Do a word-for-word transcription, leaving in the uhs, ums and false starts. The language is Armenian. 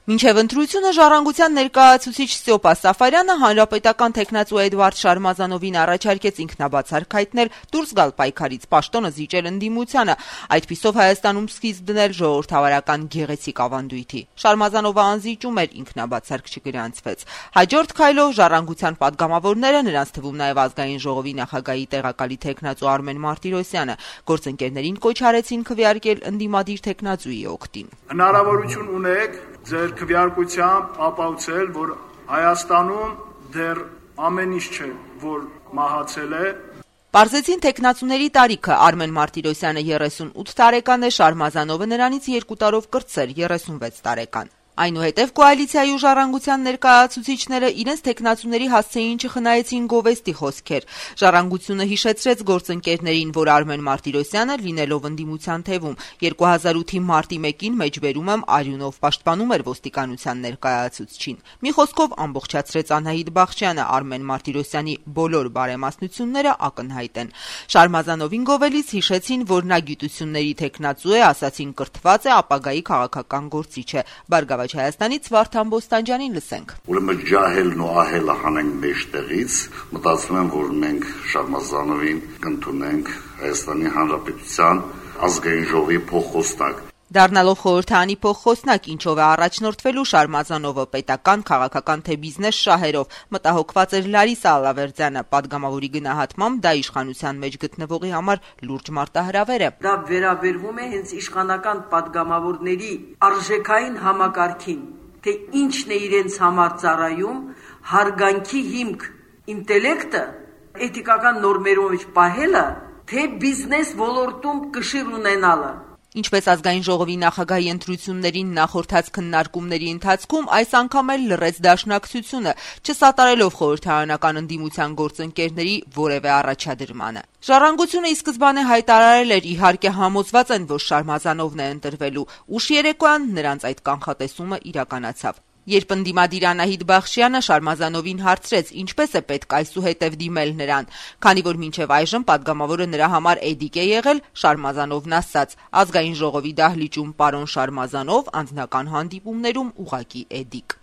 Մինչև ընտրությունը Ժառանգության ներկայացուցիչ Ստյոպա Սաֆարյանը հանրապետական թեկնածու Էդվարդ Շարմազանովին առաջարկեց ինքնաբացարկ հայտնել դուրս գալ պայքարից, պաշտոնը զիջել ընդդիմությանը, այդպիսով Հայաստանում սկիզբ դնել ժողովրդավարական գեղեցիկ ավանդույթի։ Շարմազանովը անզիջում էր, ինքնաբացարկ չգրանցվեց։ Հաջորդ քայլով Ժառանգության պատգամավորները, նրանց թվում նաև Ազգային ժողովի նախագահի տեղակալի թեկնածու Արմեն Մարտիրոսյանը, գործընկերներին կոչ արեցին քվեարկել ընդդիմադիր թեկնածուի օգտին։ Հնարավորություն ունեք ձեր քվեարկությամբ ապացուցել, որ Հայաստանում դեռ ամեն ինչ չէ, որ մահացել է։ Պարզեցին թեկնածուների տարիքը։ Արմեն Մարտիրոսյանը երեսունութ տարեկան է, Շարմազանովը նրանից երկու տարով կրտսեր, երեսունվեց տարեկան։ Այնուհետև կոալիցիայի ու Ժառանգության ներկայացուցիչները իրենց թեկնածուների հասցեին չխնայեցին գովեստի խոսքեր։ Ժառանգությունը հիշեցրեց գործընկերներին, որ Արմեն Մարտիրոսյանը, լինելով ընդդիմության թևում, երկու հազար ութի մարտի մեկին մեջբերում եմ արյունով պաշտպանում էր ոստիկանության ներկայացուցչին։ Մի խոսքով ամբողջացրեց Անահիտ Բախչյանը, Արմեն Մարտիրոսյանի բոլոր բարեմասնությունները ակնհայտ են։ Շարմազանովին գովելիս հիշեցին, որ նա գիտությունների թեկնածու է, ասացին կրթված է, ապագայի քաղաքական գործիչ է։ Բարգավաճ Հայաստանից Վարդան Բոստանջյանին լսենք։ Ուրեմն ջահելն ու ահելը հանենք մեջտեղից, մտածում եմ, որ մենք Շարմազանովին կընդունենք Հայաստանի Հանրապետության ազգային ժողովի փոխխոսնակ։ Դառնալով խորհրդարանի փոխխոսնակ, ինչով է առաջնորդվելու Շարմազանովը պետական, քաղաքական թե բիզնես շահերով, մտահոգված էր Լարիսա Ալավերդյանը, պատգամավորի գնահատմամբ դա իշխանության մեջ գտնվողի համար լուրջ մարտահրավեր է։ Դա վերաբերվում է հենց իշխանական պատգամավորների արժեքային համակարգին, թե ինչն է իրենց համար ծառայում, հարգանքի հիմք, ինտելեկտը, էթիկական նորմերով մեջ պահելը, թե բիզնես ոլորտում կշիռ ունենալը։ Ինչպես Ազգային ժողովի նախագահի ընտրություններին նախորդած քննարկումների ընթացքում, այս անգամ էլ լռեց դաշնակցությունը, չսատարելով խորհրդարանական ընդդիմության գործընկերների որևէ առաջադրմանը։ Ժառանգությունը ի սկզբանե հայտարարել էր, իհարկե համոզված են, որ Շարմազանովն է ընտրվելու, ուշ երեկոյան նրանց այդ կանխատեսումը իրականացավ։ Երբ ընդդիմադիր Անահիտ Բախչյանը Շարմազանովին հարցրեց, ինչպես է պետք այսուհետև դիմել նրան, քանի որ մինչև այժմ պատգամավորը նրա համար էդիկ է եղել, Շարմազանովն ասաց. Ազգային ժողովի դահլիճում պարոն Շարմազանով, անձնական հանդիպումներում ուղղակի էդիկ։